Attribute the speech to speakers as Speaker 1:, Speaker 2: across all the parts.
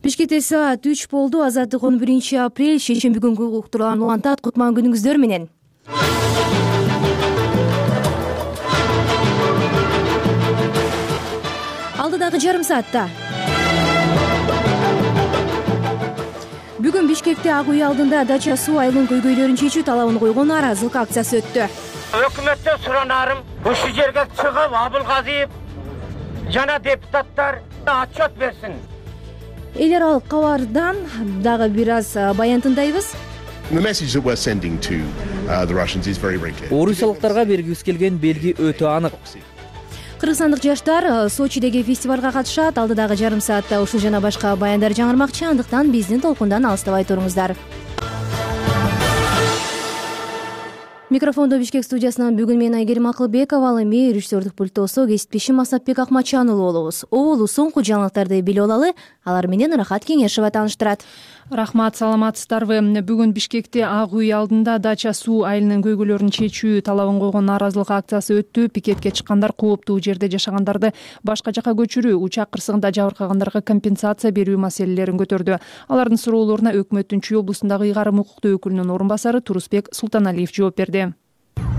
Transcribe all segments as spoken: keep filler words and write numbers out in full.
Speaker 1: Бишкекте саат үч болду. Азаттык он биринчи апрель шейшемби күнгү уктурган улантат. Кутман күнүңүздөр менен. Алдыдагы жарым саатта бүгүн Бишкекте Ак үй алдында дача суу айылынын көйгөйлөрүн чечүү талабын койгон нааразылык акциясы өттү.
Speaker 2: Өкмөттөн суранарым, ушул жерге чыгып Абылгазиев жана депутаттар отчет берсин.
Speaker 1: Эл аралык кабардан дагы бир аз баян тыңдайбыз.
Speaker 3: Орусиялыктарга бергибиз келген белги өтө анык.
Speaker 1: Кыргызстандык жаштар Сочидеги фестивалга катышат. Алдыдагы жарым саатта ушул жана башка баяндар жаңырмакчы, андыктан биздин толкундан алыстабай туруңуздар. Микрофондо Бишкек студиясынан бүгүн мен Айгерим Акылбекова, ал эми режиссердук пульттосо кесиптешим Асапбек Акмачан уулу болобуз. Оолу соңку жаңылыктарды билип алалы, алар менен Рахат Кеңешова тааныштырат.
Speaker 4: Рахмат, саламатсыздарбы? Бүгүн Бишкекте Ак үй алдында дача суу айылынын көйгөйлөрүн чечүү талабын койгон нааразылык акциясы өттү. Пикетке чыккандар кооптуу жерде жашагандарды башка жака көчүрүү, учак кырсыгында жабыркагандарга компенсация берүү маселелерин көтөрдү. Алардын суроолоруна өкмөттүн Чүй облусундагы ыйгарым укуктуу өкүлүнүн орун басары Турусбек Султаналиев жооп берди.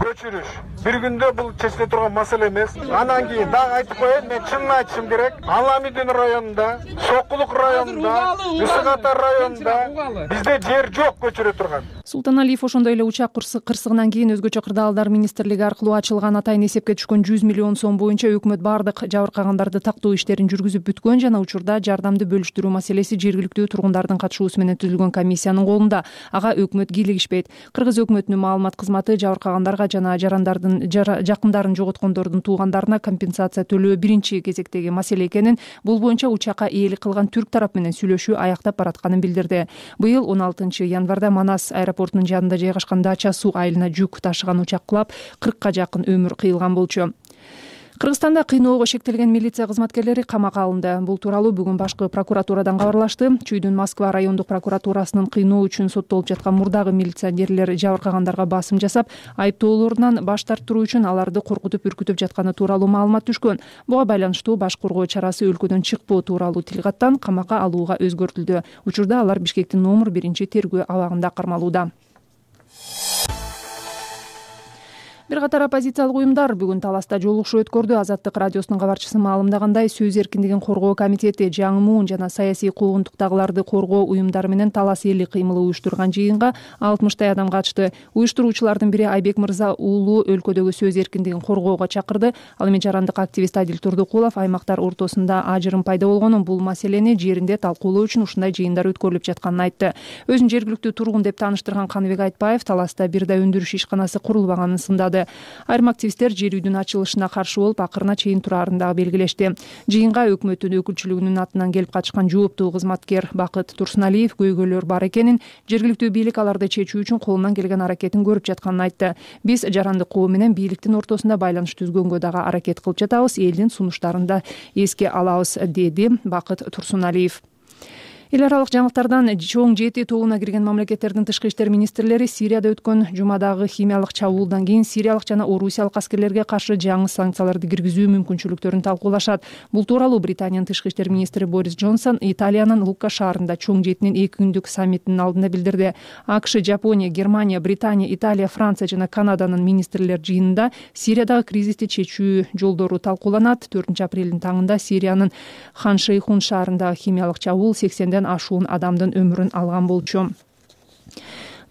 Speaker 5: Көчүрүш бир күндө бул чечиле турган маселе эмес. Анан кийин дагы айтып коеюн, мен чынын айтышым керек. Аламидин районунда, Сокулук районунда, Үсүк Ата районунда бизде жер жок көчүрө турган.
Speaker 4: Султаналиев ошондой эле учак кырсыгынан кийин өзгөчө кырдаалдар министрлиги аркылуу ачылган атайын эсепке түшкөн жүз миллион сом боюнча өкмөт бардык жабыркагандарды тактоо иштерин жүргүзүп бүткөн жана учурда жардамды бөлүштүрүү маселеси жергиликтүү тургундардын катышуусу менен түзүлгөн комиссиянын колунда. Ага өкмөт кийлигишпейт. Кыргыз өкмөтүнүн маалымат кызматы жабыркагандарга жана жарандардын жакындарын жоготкондордун туугандарына компенсация төлөө биринчи кезектеги маселе экенин, бул боюнча учакка ээлик кылган түрк тарап менен сүйлөшүү аяктап баратканын билдирди. Быйыл он алтынчы январда Манас аэропортунун жанында жайгашкан дача суу айылына жүк ташыган учак кулап, кыркка жакын өмүр кыйылган болчу. Кыргызстанда кыйноого шектелген милиция кызматкерлери камакка алынды. Бул тууралуу бүгүн башкы прокуратурадан кабарлашты. Чүйдүн Москва райондук прокуратурасынын кыйноо үчүн соттолуп жаткан мурдагы милиционерлер жабыркагандарга басым жасап, айыптоолорунан баш тарттыруу үчүн аларды коркутуп үркүтүп жатканы тууралуу маалымат түшкөн. Буга байланыштуу баш коргоо чарасы өлкөдөн чыкпоо тууралуу тилгаттан камакка алууга өзгөртүлдү. Учурда алар Бишкектин номер биринчи тергөө абагында кармалууда. Бир катар оппозициялык уюмдар бүгүн Таласта жолугушуу өткөрдү. Азаттык радиосунун кабарчысы маалымдагандай, сөз эркиндигин коргоо комитети, жаңы муун жана саясий куугунтуктагыларды коргоо уюмдары менен Талас элдик кыймылы уюштурган жыйынга алтымыштай адам катышты. Уюштуруучулардын бири Айбек Мырза уулу өлкөдөгү сөз эркиндигин коргоого чакырды. Ал эми жарандык активист Адил Турдукулов аймактар ортосунда ажырым пайда болгонун, бул маселени жеринде талкуулоо үчүн ушундай жыйындар өткөрүлүп жатканын айтты. Өзүн жергиликтүү тургун деп тааныштырган Каныбек Айтбаев Таласта бир да өндүрүш ишканасы курулбаганын сындады. Айрым активисттер жер үйдүн ачылышына каршы болуп, акырына чейин турарын дагы белгилешти. Жыйынга өкмөттүн өкүлчүлүгүнүн атынан келип катышкан жооптуу кызматкер Бакыт Турсуналиев көйгөйлөр бар экенин, жергиликтүү бийлик аларды чечүү үчүн колунан келген аракетин көрүп жатканын айтты. Биз жарандык коом менен бийликтин ортосунда байланыш түзгөнгө дагы аракет кылып жатабыз, элдин сунуштарын да эске алабыз, деди Бакыт Турсуналиев. Эл аралык жаңылыктардан чоң жети тобуна кирген мамлекеттердин тышкы иштер министрлери Сирияда өткөн жумадагы химиялык чабуулдан кийин сириялык жана орусиялык аскерлерге каршы жаңы санкцияларды киргизүү мүмкүнчүлүктөрүн талкуулашат. Бул тууралуу Британиянын тышкы иштер министри Борис Джонсон Италиянын Лукка шаарында чоң жетинин эки күндүк саммитинин алдында билдирди. АКШ, Жапония, Германия, Британия, Италия, Франция жана Канаданын министрлер жыйынында Сириядагы кризисти чечүү жолдору талкууланат. төртүнчү апрелдин таңында Сириянын Хан Шейхун шаарындагы химиялык чабуул сексенден ашуун адамдын өмүрүн алган болчу.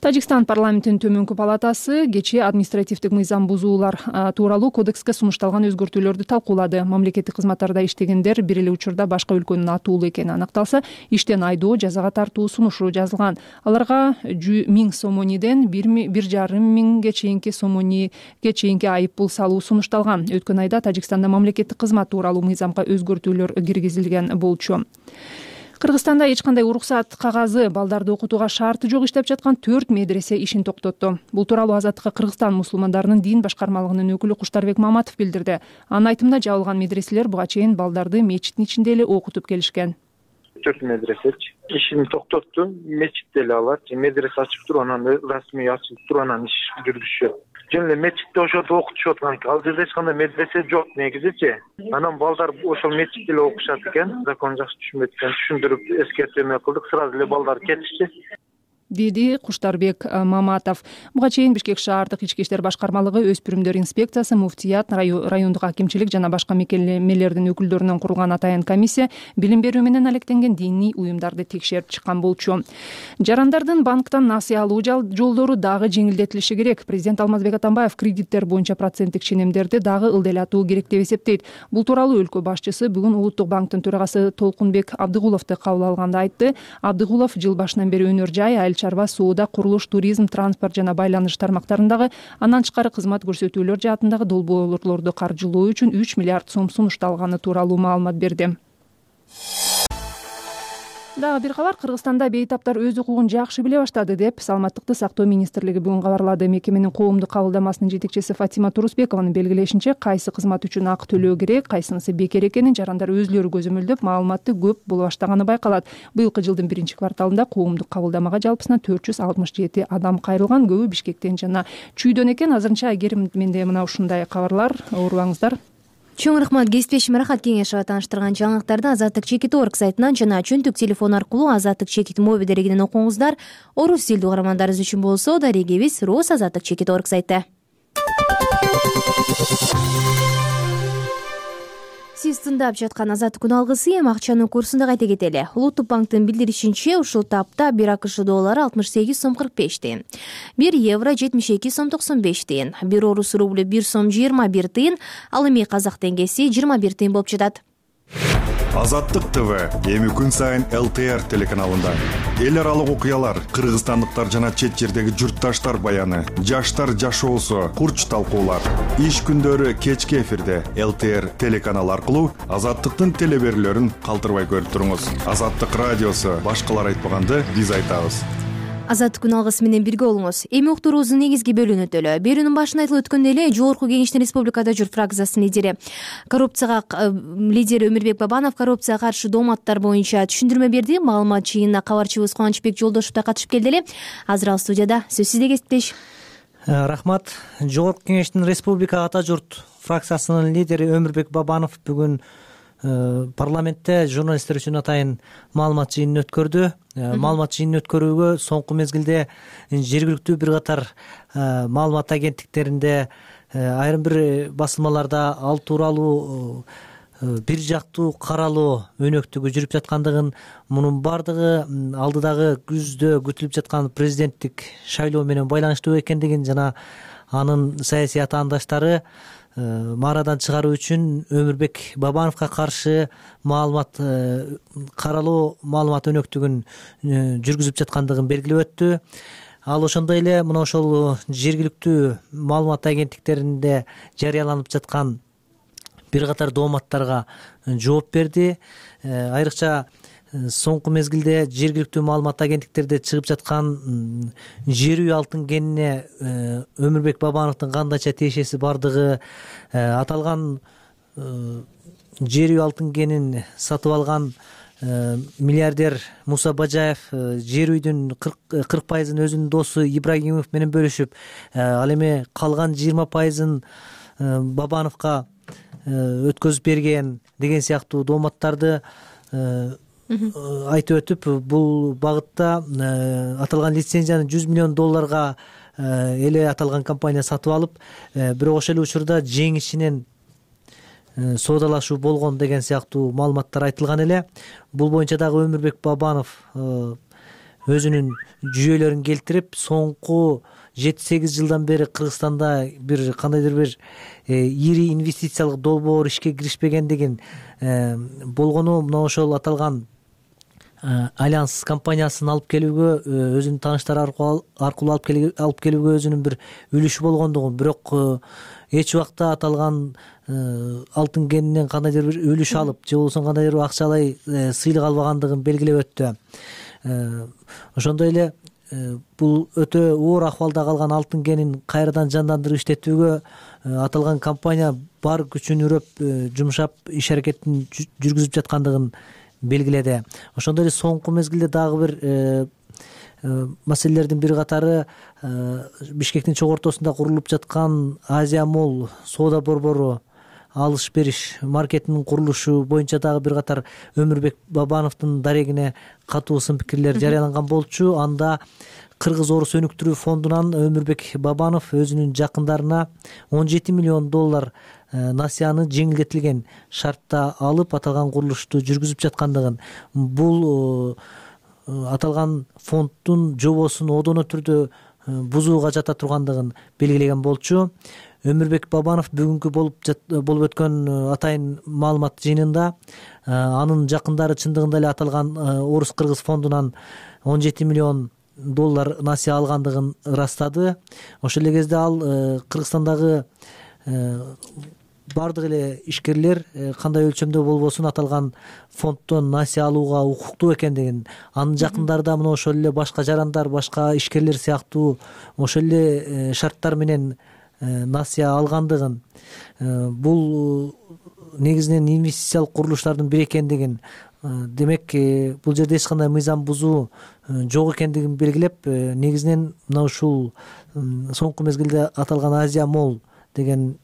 Speaker 4: Тажикстан парламентинин төмөнкү палатасы кечээ административдик мыйзам бузуулар тууралуу кодекске сунушталган өзгөртүүлөрдү талкуулады. Мамлекеттик кызматтарда иштегендер бир эле учурда башка өлкөнүн атуулу экени аныкталса, иштен айдоо, жазага тартуу сунушу жазылган. Аларга миң сомониден бир жарым миңге чейинки сомониге чейинки айып пул салуу сунушталган. Өткөн айда Тажикстанда мамлекеттик кызмат тууралуу мыйзамга өзгөртүүлөр киргизилген болчу. Кыргызстанда эч кандай уруксат кагазы, балдарды окутууга шарты жок иштеп жаткан төрт медресе ишин токтотту. Бул тууралуу Азаттыкка Кыргызстан мусулмандарынын дин башкармалыгынын өкүлү Куштарбек Маматов билдирди. Анын айтымында жабылган медреселер буга чейин балдарды мечиттин ичинде эле окутуп келишкен.
Speaker 5: Төрт медресе ишин токтотту. Мечитте эле алар. Медресе ачып туруп, анан расмий ачылып туруп, анан иш жүргүзүшөт. жөн эле мечитте ошентип окутушуп аткан экен. Ал жерде эч кандай медресе жок негизичи. Анан балдар ошол мечитте эле окушат экен. Закону жакшы түшүнбөйт экен. Түшүндүрүп эскертме кылдык. Сразу эле балдар кетишти,
Speaker 4: деди Куштарбек Маматов. Буга чейин Бишкек шаардык ички иштер башкармалыгы, өспүрүмдөр инспекциясы, муфтият, райондук акимчилик жана башка мекемелердин өкүлдөрүнөн курулган атайын комиссия билим берүү менен алектенген диний уюмдарды текшерип чыккан болчу. Жарандардын банктан насыя алуу жолдору дагы жеңилдетилиши керек. Президент Алмазбек Атамбаев кредиттер боюнча проценттик ченемдерди дагы ылдайлатуу керек деп эсептейт. Бул тууралуу өлкө башчысы бүгүн Улуттук банктын төрагасы Толкунбек Абдыгуловду кабыл алганда айтты. Абдыгулов жыл башынан бери өнөр жай, айыл чарба, соода, курулуш, туризм, транспорт жана байланыш тармактарындагы андан тышкары кызмат көрсөтүүлөр жаатындагы долбоорлорду каржылоо үчүн үч миллиард сом сунушталганы тууралуу маалымат берди. Дагы бир кабар. Кыргызстанда бейтаптар өз укугун жакшы биле баштады деп Саламаттыкты сактоо министрлиги бүгүн кабарлады. Мекеменин коомдук кабылдамасынын жетекчиси Фатима Турусбекованын белгилешинче, кайсы кызмат үчүн акы төлөө керек, кайсынысы бекер экенин жарандар өзүлөрү көзөмөлдөп, маалыматты көп боло баштаганы байкалат. Быйылкы жылдын биринчи кварталында коомдук кабылдамага жалпысынан төрт жүз алтымыш жети адам кайрылган. Көбү Бишкектен жана Чүйдөн экен. Азырынча Айгерим, менде мына ушундай кабарлар. Оорубаңыздар.
Speaker 1: Чоң рахмат. Кесиптешим Рахат Кеңешова тааныштырган жаңылыктарды Азаттык чекит орг сайтынан жана чөнтүк телефон аркылуу Азаттык чекит моби дерегинен окуңуздар. Орус тилдүү угармандарыбыз үчүн болсо дарегибиз Рос Азаттык чекит орг сайты. Сиз тыңдап жаткан Азаттык күн алгысы эми акчанын курсун да кайта кетели. Улуттук банктын билдиришинче, ушул тапта бир АКШ доллары алтымыш сегиз сом кырк беш тыйын, бир евро жетимиш эки сом токсон беш тыйын, бир орус рублю бир сом жыйырма бир тыйын, ал эми казак теңгеси жыйырма бир тыйын болуп жатат.
Speaker 6: Азаттык ТВ эми күн сайын эл тэ эр телеканалында эл аралык окуялар, кыргызстандыктар жана чет жердеги журтташтар баяны, жаштар жашоосу, курч талкуулар. Иш күндөрү кечки эфирде эл тэ эр телеканалы аркылуу Азаттыктын телеберүүлөрүн калтырбай көрүп туруңуз. Азаттык радиосу башкалар айтпаганды биз айтабыз.
Speaker 1: Азаттык күн алгысы менен бирге болуңуз. Эми уктуруубуздун негизги бөлүгүнө өтөлү. Берүүнүн башында айтылып өткөндөй эле Жогорку Кеңештин Республикада журт фракциясынын лидери коррупцияга лидери Өмүрбек Бабанов коррупцияга каршы дооматтар боюнча түшүндүрмө берди. Маалымат жыйынына кабарчыбыз Кубанычбек Жолдошев да катышып келди эле. Азыр ал студияда. Сөз сизде, кесиптеш.
Speaker 7: Рахмат. Жогорку Кеңештин Республика ата журт фракциясынын лидери Өмүрбек Бабанов бүгүн парламентте журналисттер үчүн атайын маалымат жыйынын өткөрдү. Маалымат жыйынын өткөрүүгө соңку мезгилде жергиликтүү бир катар маалымат агенттиктеринде, айрым бир басылмаларда ал тууралуу бир жактуу каралоо өнөктүгү жүрүп жаткандыгын, мунун баардыгы алдыдагы күздө күтүлүп жаткан президенттик шайлоо менен байланыштуу экендигин жана анын саясий атаандаштары маарадан чыгаруу үчүн Өмүрбек Бабановго каршы маалымат каралоо маалымат өнөктүгүн жүргүзүп жаткандыгын белгилеп өттү. Ал ошондой эле мына ошол жергиликтүү маалымат агенттиктеринде жарыяланып жаткан бир катар дооматтарга жооп берди. Айрыкча соңку мезгилде жергиликтүү маалымат агенттиктерде чыгып жаткан жер үй алтын кенине Өмүрбек Бабановдун кандайча тиешеси бардыгы, аталган жер үй алтын кенин сатып алган миллиардер Муса Бажаев жер үйдүн кырк пайызын өзүнүн досу Ибрагимов менен бөлүшүп, ал эми калган жыйырма пайызын Бабановго өткөзүп берген деген сыяктуу дооматтарды айтып өтүп, бул багытта аталган лицензияны жүз миллион долларга эле аталган компания сатып алып, бирок ошол эле учурда жеңишинен соодалашуу болгон деген сыяктуу маалыматтар айтылган эле. Бул боюнча дагы Өмүрбек Бабанов өзүнүн жүйөлөрүн келтирип, соңку жети сегиз жылдан бери Кыргызстанда бир кандайдыр бир ири инвестициялык долбоор ишке киришпегендигин, болгону мына ошол аталган Альянс компаниясын алып келүүгө, өзүнүн тааныштары аркылуу алып келүүгө өзүнүн бир үлүшү болгондугун, бирок эч убакта аталган алтын кенинен кандайдыр бир үлүш алып же болбосо кандайдыр бир акчалай сыйлык албагандыгын белгилеп өттү. Ошондой эле бул өтө оор акыбалда калган алтын кенин кайрадан жандандырып иштетүүгө аталган компания бар күчүн үрөп жумшап иш аракетин жүргүзүп жаткандыгын белгиледи. Ошондой эле соңку мезгилде дагы бир маселелердин бир катары Бишкектин чогуу ортосунда курулуп жаткан Азия молл соода борбору, алыш бериш маркетинин курулушу боюнча дагы бир катар Өмүрбек Бабановдун дарегине катуу сын пикирлер жарыяланган болчу. Анда Кыргыз орус өнүктүрүү фондунан Өмүрбек Бабанов өзүнүн жакындарына он жети миллион доллар насыяны жеңилдетилген шартта алып аталган курулушту жүргүзүп жаткандыгын, бул аталган фонддун жобосун одоно түрдө бузууга жата тургандыгын белгилеген болчу. Өмүрбек Бабанов бүгүнкү болуп болуп өткөн атайын маалымат жыйынында анын жакындары чындыгында эле аталган орус-кыргыз фондунан он жети миллион доллар насыя алгандыгын ырастады. Ошол эле кезде ал Кыргызстандагы бардык эле ишкерлер кандай өлчөмдө болбосун аталган фонддон насыя алууга укуктуу экендигин, анын жакындары да мына ошол эле башка жарандар, башка ишкерлер сыяктуу ошол эле шарттар менен насыя алгандыгын, бул негизинен инвестициялык курулуштардын бири экендигин, демек бул жерде эч кандай мыйзам бузуу жок экендигин белгилеп, негизинен мына ушул соңку мезгилде аталган Азия молл деген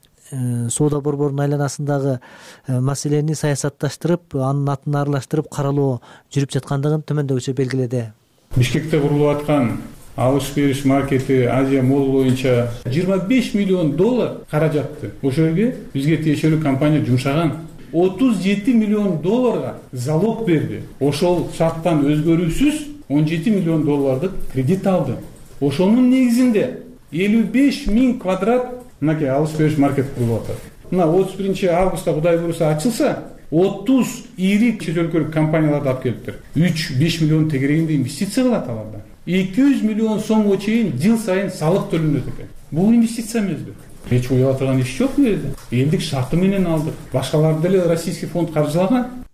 Speaker 7: соода борборунун айланасындагы маселени саясатташтырып, анын атын аралаштырып каралоо жүрүп жаткандыгын төмөндөгүчө белгиледи.
Speaker 8: Бишкекте курулуп аткан алыш бериш маркети Азия молл боюнча жыйырма беш миллион доллар каражатты ошол жерге бизге тиешелүү компания жумшаган. отуз жети миллион долларга залог берди. Ошол шарттан өзгөрүүсүз он жети миллион доллардык кредит алды. Ошонун негизинде элүү беш миң квадрат мынакей алыш бериш маркет курулуп атат. Мына отуз биринчи августта Кудай буюрса ачылса, отуз ири чет өлкөлүк компанияларды алып келиптир. үч беш миллион тегерегинде инвестиция кылат аларда. эки жүз миллион сомго чейин жыл сайын салык төлөнөт экен. Бул инвестиция эмеспи? Эч уяла турган иш жок бул жерде. Элдик шарты менен алдык. Башкаларды деле российский фонд каржылаган.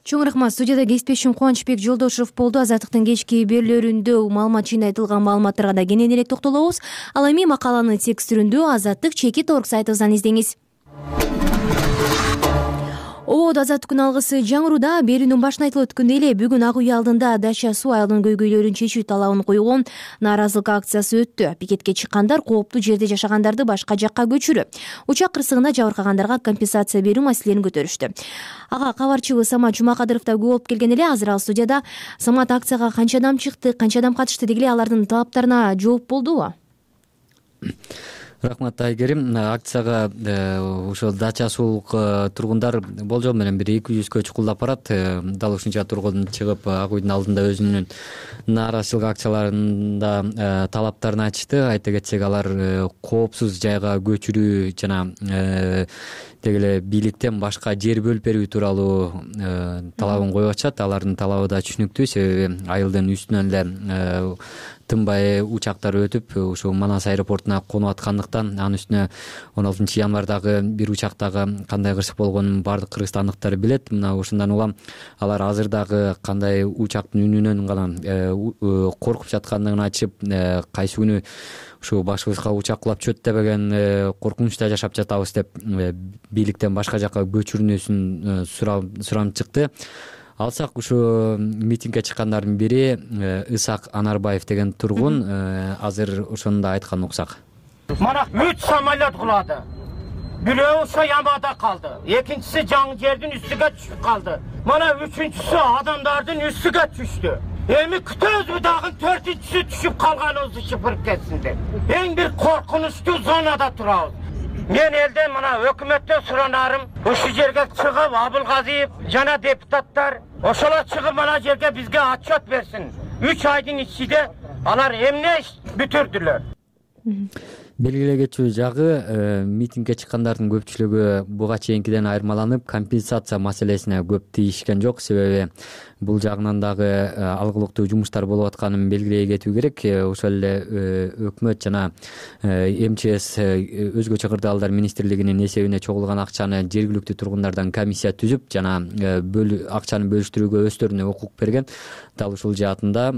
Speaker 1: Чоң рахмат. Студияда кесиптешим Кубанычбек Жолдошев болду. Азаттыктын кечки берүүлөрүндө маалымат жыйында айтылган маалыматтарга да кененирээк токтолобуз. Ал эми макаланын текст түрүндө Азаттык чекит орг сайтыбыздан издеңиз. Обод Азаттык күн алгысы жаңыруда. Берүүнүн башында айтылып өткөндөй эле бүгүн Ак үй алдында Дача суу айылынын көйгөйлөрүн чечүү талабын койгон нааразылык акциясы өттү. Пикетке чыккандар кооптуу жерде жашагандарды башка жакка көчүрүү, учак кырсыгында жабыркагандарга компенсация берүү маселелерин көтөрүштү. Ага кабарчыбыз Самат Жумакадыров да көп болуп келген эле. Азыр ал студияда. Самат, акцияга канча адам чыкты, канча адам катышты, деги эле алардын талаптарына жооп болдубу?
Speaker 3: Рахмат Айгерим. Акцияга ошол Дача суулук тургундар болжол менен бир эки жүзгө чукулдап барат. Дал ушунча тургун чыгып Ак үйдүн алдында өзүнүн нааразычылык акцияларында талаптарын айтышты. Айта кетсек, алар коопсуз жайга көчүрүү жана деги эле бийликтен башка жер бөлүп берүү тууралуу талабын коюп атышат. Алардын талабы да түшүнүктүү, себеби айылдын үстүнөн эле тынбай учактар өтүп ушул Манас аэропортуна конуп аткандыктан, анын үстүнө он алтынчы январдагы бир учактагы кандай кырсык болгонун бардык кыргызстандыктар билет. Мына ушундан улам алар азыр дагы кандай учактын үнүнөн гана коркуп жаткандыгын айтышып, кайсы күнү ушу башыбызга учак кулап чөт дебеген коркунучта жашап жатабыз деп бийликтен башка жакка көчүрүүсүн суранып чыкты. Алсак, ушу митингге чыккандардын бири Исак Анарбаев деген тургун азыр ошону да айткан уксак.
Speaker 2: Мана үч самолет кулады. Бирөө ошо ямада калды. Экинчиси жаңы жердин үстүгө түшүп калды. Мана үчүнчүсү адамдардын үстүгө түштү. Эми күтөбүз дагы төртүнчүсү түшүп калганыбызды чыпырып кетсин деп. Эң бир коркунучтуу зонада турабыз. Мен элден мына өкмөттөн суранарым, ушул жерге чыгып Абылгазиев жана депутаттар ошолор чыгып мына жерге бизге отчет берсин. үч айдын ичинде алар эмне иш бүтүрдүлөр.
Speaker 3: Белгилей кетчү жагы, митингге чыккандардын көпчүлүгү буга чейинкиден айырмаланып, компенсация маселесине көп тийишкен жок. Себеби бул жагынан дагы алгылыктуу жумуштар болуп атканын белгилей кетүү керек. Ошол эле өкмөт жана эм че эс өзгөчө кырдаалдар министрлигинин эсебине чогулган акчаны жергиликтүү тургундардан комиссия түзүп жана акчаны бөлүштүрүүгө өздөрүнө укук берген. Дал ушул жаатында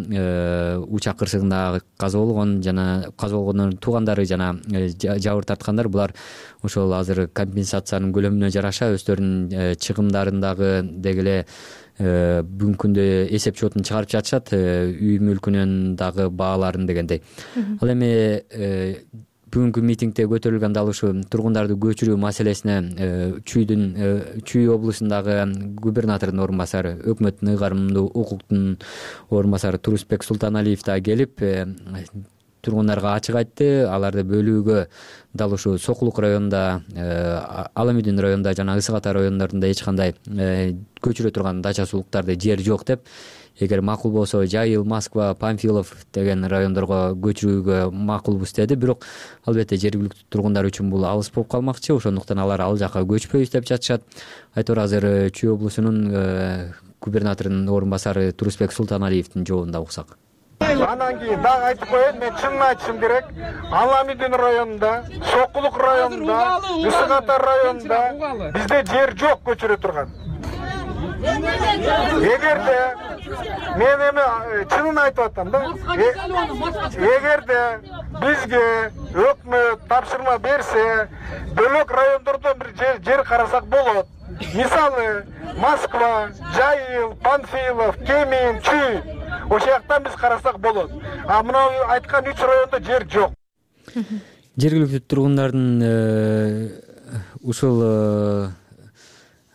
Speaker 3: учак кырсыгында каза болгон жана каза болгондордун туугандары жана жабыр тарткандар булар ошол азыр компенсациянын көлөмүнө жараша өздөрүнүн чыгымдарын дагы деги эле бүгүнкү күндө эсеп счетун чыгарып жатышат, үй мүлкүнүн дагы бааларын дегендей. Ал эми бүгүнкү митингде көтөрүлгөн дал ушу тургундарды көчүрүү маселесине Чүйдүн Чүй облусундагы губернатордун орун басары, өкмөттүн ыйгарымдуу укуктун орун басары Турусбек Султаналиев да келип тургундарга ачык айтты. Аларды бөлүүгө дал ушу Сокулук районунда, Аламүдүн районунда жана Ысык Ата райондорунда эч кандай көчүрө турган дача суулуктарды жер жок деп, эгер макул болсо Жайыл, Москва, Памфилов деген райондорго көчүрүүгө макулбуз деди. Бирок албетте жергиликтүү тургундар үчүн бул алыс болуп калмакчы, ошондуктан алар ал жака көчпөйбүз деп жатышат. Айтор азыр Чүй облусунун губернаторунун орун басары Турусбек Султаналиевдин жообунда уксак.
Speaker 5: Анан кийин дагы айтып коеюн, мен чынын айтышым керек. Аламүдүн районунда, Сокулук районунда, Ысык Ата районунда бизде жер жок көчүрө турган. Эгерде мен эми чынын айтып атам да, эгерде бизге өкмөт тапшырма берсе, бөлөк райондордон бир жер карасак болот. Мисалы, Москва, Жайыл, Панфилов, Кемин, Чүй, ошол жактан биз карасак болот. А мына айткан үч райондо жер жок.
Speaker 3: Жергиликтүү тургундардын ушул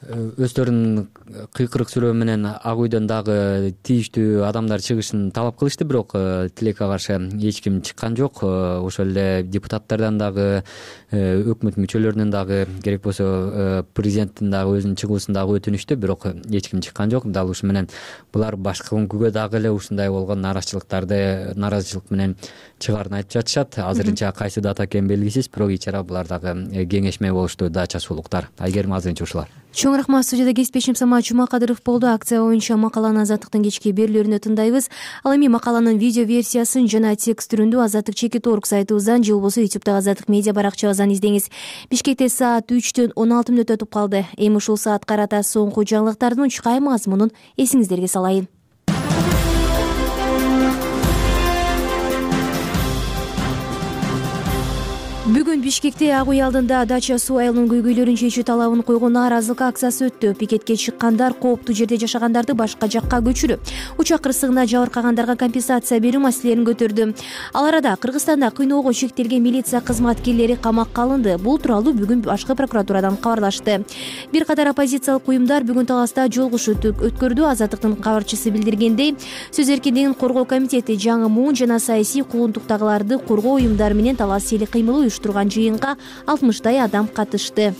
Speaker 3: өздөрүнүн кыйкырык сүрөө менен Ак үйдөн дагы тийиштүү адамдар чыгышын талап кылышты, бирок тилекке каршы эч ким чыккан жок. Ошол эле депутаттардан дагы, өкмөт мүчөлөрүнөн дагы, керек болсо президенттин дагы өзүнүн чыгуусун дагы өтүнүштү, бирок эч ким чыккан жок. Дал ушу менен булар башкы күнгүгө дагы эле ушундай болгон нааразычылыктарды нааразычылык менен чыгаарын айтып жатышат. Азырынча кайсы дата экени белгисиз, бирок ичара булар дагы кеңешме болушту, дача суулуктар. Айгерим, азырынча ушулар.
Speaker 1: Чоң рахмат. Студияда кесиптешим Самат Жумакадыров болду. Акция боюнча макаланы Азаттыктын кечки берүүлөрүнө тыңдайбыз. Ал эми макаланын видео версиясын жана текст түрүндө азаттык чекит точка орг сайтыбыздан же болбосо ютубтагы Азаттык медиа баракчабыздан издеңиз. Бишкекте саат үчтөн он алты мүнөт өтүп калды. Эми ушул саат карата соңку жаңылыктардын учкай мазмунун эсиңиздерге салайын. Бүгүн Бишкекте Ак үй алдында дача суу айылынын көйгөйлөрүн чечүү талабын койгон нааразылык акциясы өттү. Пикетке чыккандар кооптуу жерде жашагандарды башка жакка көчүрүп, учак кырсыгына жабыркагандарга компенсация берүү маселелерин көтөрдү. Ал арада Кыргызстанда кыйноого чектелген милиция кызматкерлери камакка алынды. Бул тууралуу бүгүн башкы прокуратурадан кабарлашты. Бир катар оппозициялык уюмдар бүгүн Таласта жолугуш өткөрдү. Азаттыктын кабарчысы билдиргендей, сөз эркиндигин коргоо комитети жаңы муун жана саясий куугунтуктагыларды коргоо уюмдары менен талас сели кыймылы турган жыйынга алтымыштай адам катышты.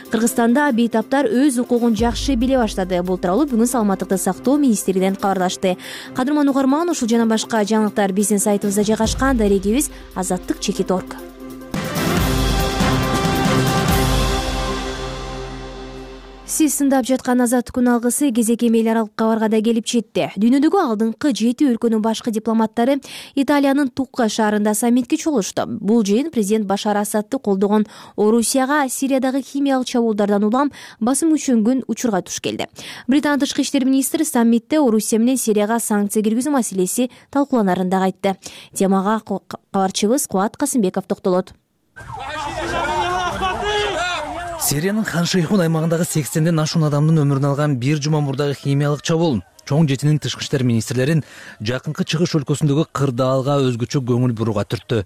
Speaker 1: Кыргызстанда бейтаптар өз укугун жакшы биле баштады. Бул тууралуу бүгүн Саламаттыкты сактоо министрлигинен кабарлашты. Кадырман угарман, ушул жана башка жаңылыктар биздин сайтыбызда жайгашкан. Дарегибиз азаттык чекит точка орг. Сиз сындап жаткан Азаттык күн алгысы кезек эмел аралык кабарга да келип жетти. Дүйнөдөгү алдыңкы жети өлкөнүн башкы дипломаттары Италиянын Тукка шаарында саммитке чогулушту. Бул жыйын президент Башар Асадты колдогон Орусияга Сириядагы химиялык чабуулдардан улам басым күчөнгөн учурга туш келди. Британ тышкы иштер министри саммитте Орусия менен Сирияга санкция киргизүү маселеси талкууланарын да айтты. Темага кабарчыбыз Кубат Касымбеков токтолот.
Speaker 9: Сириянын Хан Шейхун аймагындагы сексенден ашуун адамдын өмүрүн алган бир жума мурдагы химиялык чабуул чоң жетинин тышкы иштер министрлерин жакынкы чыгыш өлкөсүндөгү кырдаалга өзгөчө көңүл бурууга түрттү.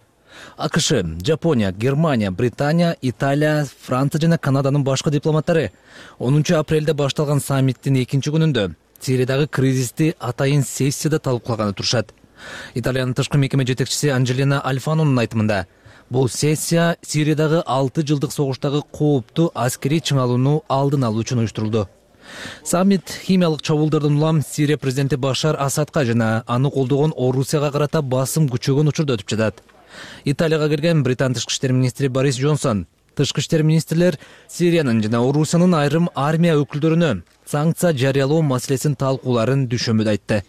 Speaker 9: АКШ, Жапония, Германия, Британия, Италия, Франция жана Канаданын башкы дипломаттары онунчу апрелде башталган саммиттин экинчи күнүндө Сириядагы кризисти атайын сессияда талкуулаганы турушат. Италиянын тышкы мекеме жетекчиси Анджелина Альфанонун айтымында, бул сессия Сириядагы алты жылдык согуштагы кооптуу аскерий чыңалууну алдын алуу үчүн уюштурулду. Саммит химиялык чабуулдардан улам Сирия президенти Башар Асадка жана аны колдогон Орусияга карата басым күчөгөн учурда өтүп жатат. Италияга келген Британ тышкы иштер министри Борис Джонсон тышкы иштер министрлер Сириянын жана Орусиянын айрым армия өкүлдөрүнө санкция жарыялоо маселесин талкууларын düşөмүдө айтты.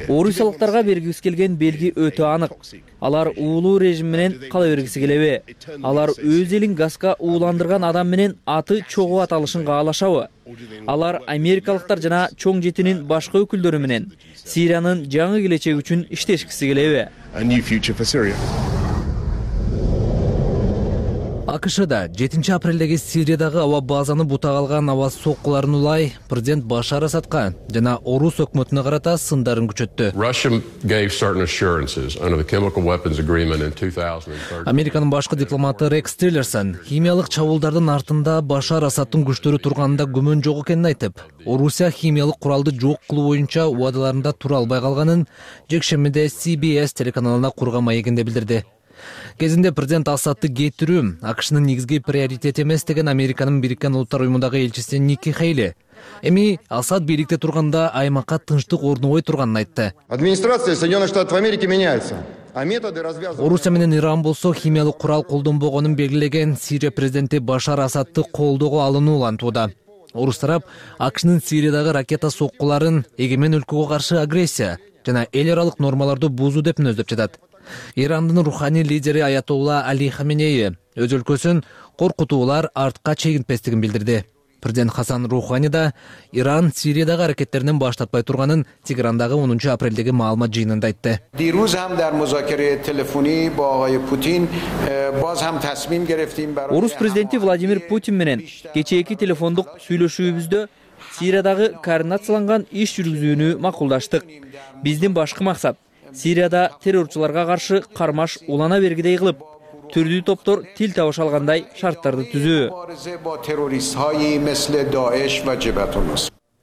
Speaker 10: Орусиялыктарга бергибиз келген белги өтө анык. Алар уулуу режим менен кала бергиси келеби? Алар өз элин газга ууландырган адам менен аты чогуу аталышын каалашабы? Алар америкалыктар жана чоң жетинин башка өкүлдөрү менен Сириянын жаңы келечеги үчүн иштешкиси келеби?
Speaker 9: акшда жетинчи апрелдеги Сириядагы аба базаны бутага алган аба соккуларын улай президент Башар Асадка жана орус өкмөтүнө карата сындарын күчөттү. Американын башкы дипломаты Рекс Тиллерсон химиялык чабуулдардын артында Башар Асадтын күчтөрү турганында күмөн жок экенин айтып, Орусия химиялык куралды жок кылуу боюнча убадаларында тура албай калганын жекшембиде Си Би Эс телеканалына курган маегинде билдирди. Кезинде президент Асадты кетирүү АКШнын негизги приоритети эмес деген Американын Бириккен Улуттар уюмундагы элчиси Ники Хейли эми Асад бийликте турганда аймакка тынчтык орнобой турганын айтты.
Speaker 11: Администрация Соединенных Штатов Америки меняется.
Speaker 9: Орусия менен Иран болсо химиялык курал колдонбогонун белгилеген Сирия президенти Башар Асадты колдоого алынуу улантууда. Орус тарап АКШнын Сириядагы ракета соккуларын эгемен өлкөгө каршы агрессия жана эл аралык нормаларды бузуу деп мүнөздөп жатат. Ирандын руханий лидери Аятолла Али Хаменеи өз өлкөсүн коркутуулар артка чегинтпестигин билдирди. Президент Хасан Рухани да Иран Сириядагы аракеттеринен баш тартпай турганын Тегерандагы онунчу апрелдеги маалымат жыйынында айтты.
Speaker 10: Орус президенти Владимир Путин менен кечээки телефондук сүйлөшүүбүздө Сириядагы координацияланган иш жүргүзүүнү макулдаштык. Биздин башкы максат Сирияда террорчуларга каршы кармаш улана бергидей кылып, түрдүү топтор тил табыша алгандай шарттарды түзүү.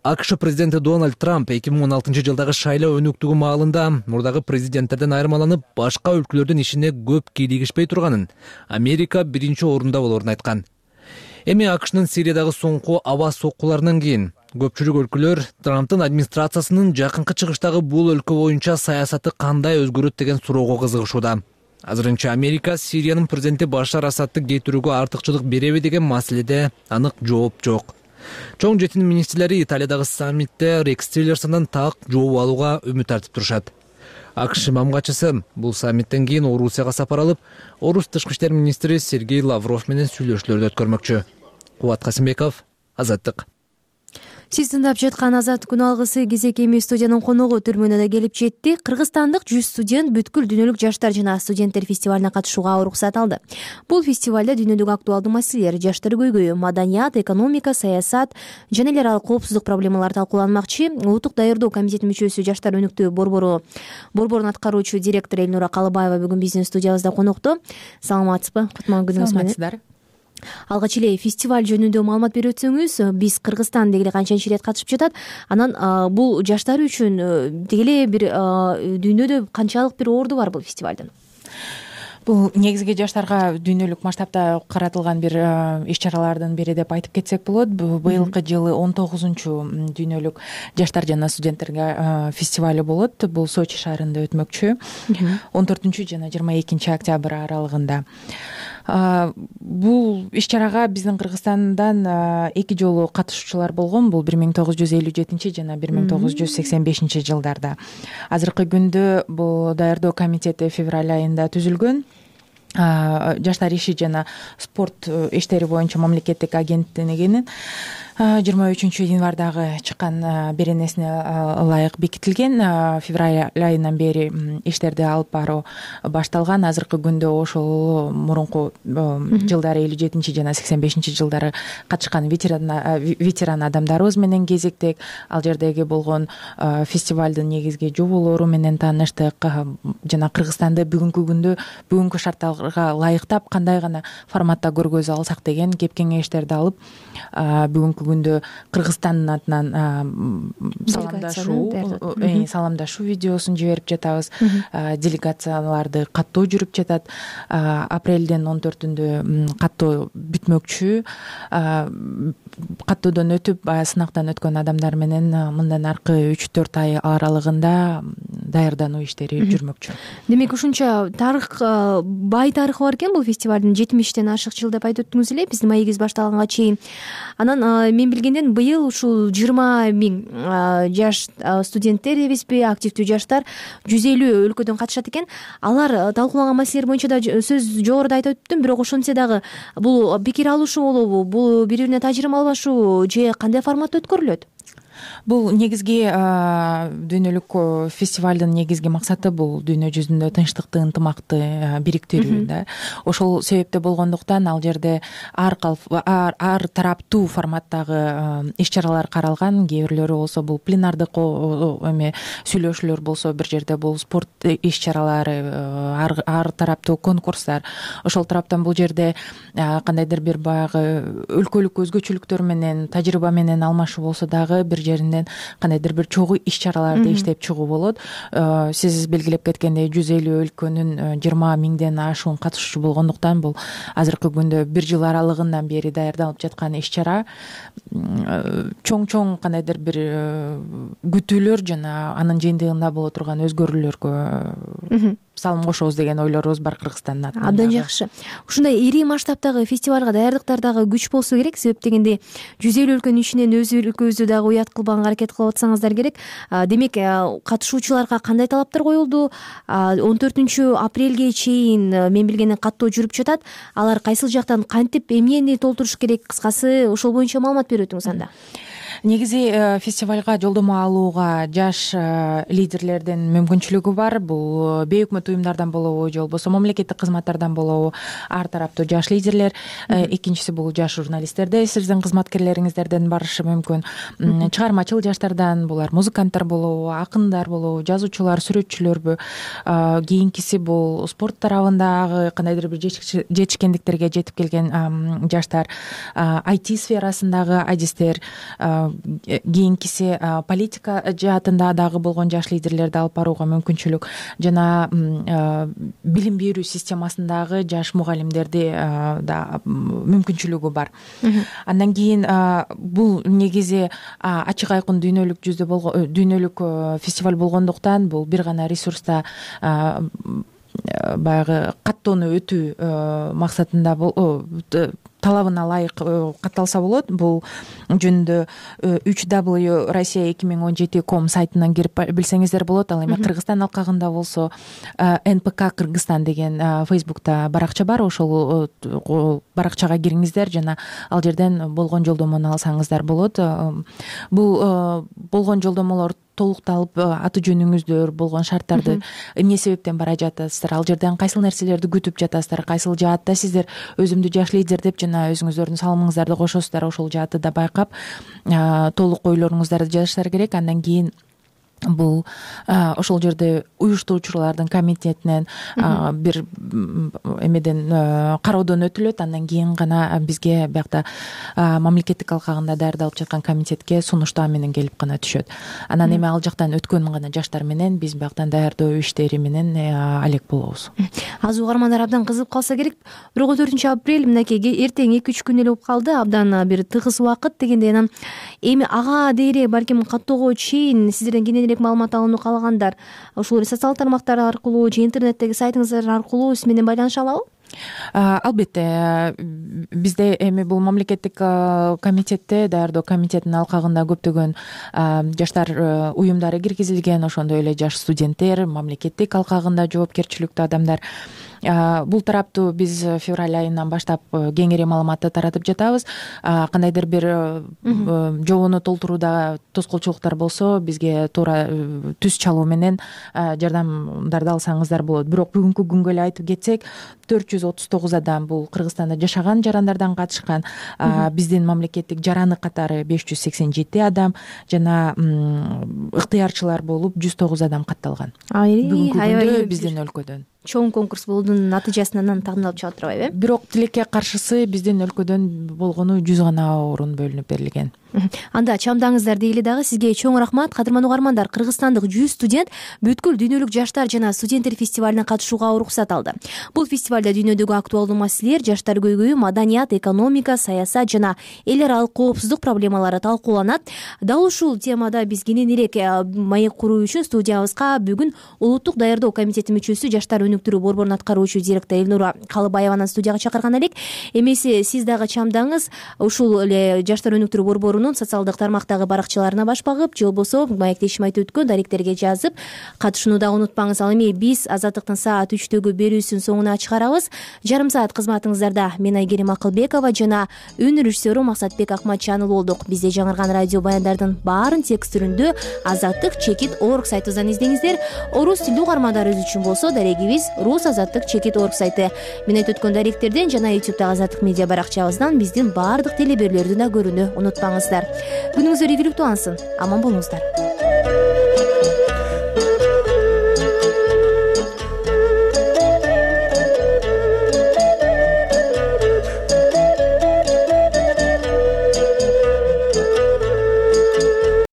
Speaker 9: АКШ президенти Дональд Трамп эки миң он алтынчы жылдагы шайлоо өнүктүгү маалында мурдагы президенттерден айырмаланып, башка өлкөлөрдүн ишине көп кийлигишпей турганын, Америка биринчи орунда болорун айткан. Эми АКШнын Сириядагы соңку аба соккуларынан кийин көпчүлүк өлкөлөр Трамптын администрациясынын жакынкы чыгыштагы бул өлкө боюнча саясаты кандай өзгөрөт деген суроого кызыгышууда. Азырынча Америка Сириянын президенти Башар Асадты кетирүүгө артыкчылык береби деген маселеде анык жооп жок. Чоң жетинин министрлери Италиядагы саммитте Рекс Тиллерсондон так жооп алууга үмүт артып турушат. АКШ мамгачысы бул саммиттен кийин Орусияга сапар алып, Орус тышкы иштер министри Сергей Лавров менен сүйлөшүүлөрдү өткөрмөкчү. Кубат Касымбеков, Азаттык.
Speaker 1: Сиз тыңдап жаткан Азаттык күн алгысы кезек эми студиянын коногу түрмөнө да келип жетти. Кыргызстандык жүз студент бүткүл дүйнөлүк жаштар жана студенттер фестивалына катышууга уруксат алды. Бул фестивалда дүйнөлүк актуалдуу маселелер, жаштар көйгөйү, маданият, экономика, саясат жана эл аралык коопсуздук проблемалары талкууланмакчы. Улуттук даярдоо комитетинин мүчөсү, жаштар өнүктүү борбору борборун аткаруучу директор Элнура Калыбаева бүгүн биздин студиябызда конокто. Саламатсызбы? Кутман күнүңүз менен.
Speaker 12: Саламатсыздар.
Speaker 1: Алгач эле фестиваль жөнүндө маалымат берип өтсөңүз, биз Кыргызстан дегеле канчанчы ирет катышып жатат? Анан бул жаштар үчүн дегеле бир дүйнөдө канчалык бир орду бар бул фестивалдын?
Speaker 12: Бул негизги жаштарга дүйнөлүк масштабта каратылган бир иш-чаралардын бири деп айтып кетсек болот. Быйылкы жылы он тогузунчу дүйнөлүк жаштар жана студенттерге фестиваль болот. Бул Сочи шаарында өтмөкчү. он төртүнчү жана жыйырма экинчи октябрь аралыгында. Бул иш-чарага биздин Кыргызстандан эки жолу катышуучулар болгон. Бул бир миң тогуз жүз элүү жетинчи жана бир миң тогуз жүз сексен бешинчи жылдарда. Азыркы күндө бул даярдоо комитети февраль айында түзүлгөн. Жаштар иши жана спорт иштери боюнча мамлекеттик агенттигинин жыйырма үчүнчү январдагы чыккан беренесине ылайык бекитилген. Февраль айынан бери иштерди алып баруу башталган. Азыркы күндө ошол мурунку жылдары элүү жетинчи жана сексен бешинчи жылдары катышкан ветеран адамдарыбыз менен кезиктик. Ал жердеги болгон фестивалдын негизги жоболору менен тааныштык жана Кыргызстанды бүгүнкү күндө бүгүнкү шарттарга ылайыктап кандай гана форматта көргөзө алсак деген кеп кеңештерди алып бүгүнкү күндө Кыргызстандын атынан саламдашуу саламдашуу видеосун жиберип жатабыз. Делегацияларды каттоо жүрүп жатат. Апрелдин он төртүндө каттоо бүтмөкчү. Каттоодон өтүп сынактан өткөн адамдар менен мындан аркы үч төрт ай аралыгында даярдануу иштери жүрмөкчү.
Speaker 1: Демек ушунча тарых, бай тарыхы бар экен бул фестивалдын, жетимиштен ашык жыл деп айтып өттүңүз эле биздин маегибиз башталганга чейин. Анан мен билгенден быйыл ушул жыйырма миң жаш студенттер дебизби, активдүү жаштар жүз элүү өлкөдөн катышат экен. Алар талкууланган маселелер боюнча да сөз жогоруда айтып өттүм, бирок ошентсе дагы бул пикир алышуу болобу, бул бири бирине тажрыйба алмашуу же кандай форматта өткөрүлөт?
Speaker 12: бул негизги дүйнөлүк фестивалдын негизги максаты бул дүйнө жүзүндө тынчтыкты, ынтымакты бириктирүү да. Ошол себептен болгондуктан ал жерде ар ар, ар тараптуу форматтагы иш-чаралар каралган. Кээ бирлөрү болсо бул пленардык эме сүйлөшүүлөр болсо, бир жерде бул спорт иш-чаралары, ар, ар тараптуу конкурстар. Ошол тараптан бул жерде кандайдыр бир баягы өлкөлүк өзгөчөлүктөр менен, тажрыйба менен алмашуу болсо дагы бир жеринен кандайдыр бир чогуу иш-чараларды иштеп чыгуу болот. Сиз белгилеп кеткендей жүз элүү өлкөнүн жыйырма миңден ашуун катышуучу болгондуктан бул азыркы күндө бир жыл аралыгынан бери даярдалып жаткан иш-чара. Чоң-чоң кандайдыр бир күтүүлөр жана анын жыйынтыгында боло турган өзгөрүүлөргө салым кошобуз деген ойлорубуз бар Кыргызстандын атынан.
Speaker 1: Абдан жакшы. Ушундай ири масштабтагы фестивалга даярдыктар дагы күч болсо керек. Себеп дегенде жүз элүү өлкөнүн ичинен өз өлкөбүздү дагы уят кылбаганга аракет кылып атсаңыздар керек. Демек, катышуучуларга кандай талаптар коюлду? он төртүнчү апрелге чейин мен билгенден каттоо жүрүп жатат. Алар кайсыл жактан кантип эмнени толтуруш керек? Кыскасы ошол боюнча маалымат берип өтүңүз анда.
Speaker 12: Негизи фестивалга жолдомо алууга жаш лидерлердин мүмкүнчүлүгү бар. Бул бейөкмөт уюмдардан болобу же болбосо мамлекеттик кызматтардан болобу ар тараптуу жаш лидерлер. Экинчиси бул жаш журналисттерде сиздин кызматкерлериңиздерден барышы мүмкүн. Чыгармачыл жаштардан, булар музыканттар болобу, акындар болобу, жазуучулар, сүрөтчүлөрбү. Кийинкиси бул спорт тарабындагы кандайдыр бир жетишкендиктерге жетип келген жаштар, ай ти сферасындагы адистер, кийинкиси политика жаатында дагы болгон жаш лидерлерди алып барууга мүмкүнчүлүк, жана билим берүү системасындагы жаш мугалимдерди да мүмкүнчүлүгү бар. Андан кийин бул негизи ачык айкын дүйнөлүк жүздө болгон дүйнөлүк фестиваль болгондуктан бул бир гана ресурста баягы каттоону өтүү максатында талабына ылайык катталса болот. Бул жөнүндө үч дабл ю россия эки миң он жети ком сайтынан кирип билсеңиздер болот. Ал эми Кыргызстан алкагында болсо эн пэ ка Кыргызстан деген Фейсбукта баракча бар. Ошол баракчага кириңиздер жана ал жерден болгон жолдомону алсаңыздар болот. Бул болгон жолдомолор толукталып, аты жөнүңүздөр, болгон шарттарды, эмне себептен бара жатасыздар, ал жерден кайсыл нерселерди күтүп жатасыздар, кайсыл жаатта сиздер өзүмдү жаш лидер деп жана өзүңүздөрдүн салымыңыздарды кошосуздар, ошол жаатты да байкап толук ойлоруңуздарды жазышыңар керек. Андан кийин бул ошол жерде уюштуруучулардын комитетинен бир эмеден кароодон өтүлөт. Андан кийин гана бизге биякта мамлекеттик алкагында даярдалып жаткан комитетке сунуштаа менен келип гана түшөт. Анан эми ал жактан өткөн гана жаштар менен биз бияктан даярдоо иштери менен алек болобуз.
Speaker 1: Аз угармандар абдан кызыгып калса керек. бирок он төртүнчү апрель мынакей эртең эки үч күн эле болуп калды. Абдан бир тыгыз убакыт дегендей. Анан эми ага дейре балким каттоого чейин сиздерден кененирээк маалымат алууну каалагандар ушул социалдык тармактар аркылуу же интернеттеги сайтыңыздар аркылуу сиз менен байланыша алабы?
Speaker 12: Албетте, бизде эми бул мамлекеттик комитетте, даярдоо комитетинин алкагында көптөгөн жаштар уюмдары киргизилген, ошондой эле жаш студенттер, мамлекеттик алкагында жоопкерчиликтүү адамдар. Бул тараптуу биз февраль айынан баштап кеңири маалыматты таратып жатабыз. Кандайдыр бир жобону толтурууда тоскоолчулуктар болсо, бизге туура түз чалуу менен жардамдарды алсаңыздар болот. Бирок бүгүнкү күнгө эле айтып кетсек, төрт жүз отуз тогуз адам бул Кыргызстанда жашаган жарандардан катышкан. Биздин мамлекеттик жараны катары беш жүз сексен жети адам жана ыктыярчылар болуп жүз тогуз адам катталган. Бүгүнкү күндө биздин өлкөдөн
Speaker 1: чоң конкурс болуунун натыйжасынан тагымдалып чыга турбайбы э?
Speaker 12: Бирок тилекке каршысы биздин өлкөдөн болгону жүз гана орун бөлүнүп берилген.
Speaker 1: Анда чамдаңыздар дейли дагы. Сизге чоң рахмат. Кадырман угармандар, кыргызстандык жүз студент бүткүл дүйнөлүк жаштар жана студенттер фестивалине катышууга уруксат алды. Бул фестивалда дүйнөдөгү актуалдуу маселелер, жаштар көйгөйү, маданият, экономика, саясат жана эл аралык коопсуздук проблемалары талкууланат. Дал ушул темада биз кененирээк маек куруу үчүн студиябызга бүгүн улуттук даярдоо комитетинин мүчөсү, жаштар өнүктүрүү борборунун аткаруучу директору Элнура Калыбаеваны студияга чакырган элек. Эмесе сиз дагы чамдаңыз ушул эле жаштар өнүктүрүү борборунун социалдык тармактагы баракчаларына баш багып, же болбосо маектешим айтып өткөн даректерге жазып катышууну дагы унутпаңыз. Ал эми биз Азаттыктын саат үчтөгү берүүсүн соңуна чыгарабыз. Жарым саат кызматыңыздарда мен Айгерим Акылбекова жана үн режиссеру Максатбек Акматжанов болдук. Бизде жаңырган радио баяндардын баарын текст түрүндө азаттык чекит орг сайтыбыздан издеңиздер. Орус тилдүү угармандарыбыз үчүн болсо дарегибиз рус азаттык чекит орг сайты. Мен айтып өткөн даректерден жана ютубтагы Азаттык медиа баракчабыздан биздин баардык теле берүүлөрдү да көрүүнү унутпаңыздар. Күнүңүздөр ийгиликтүү алсын. Аман болуңуздар.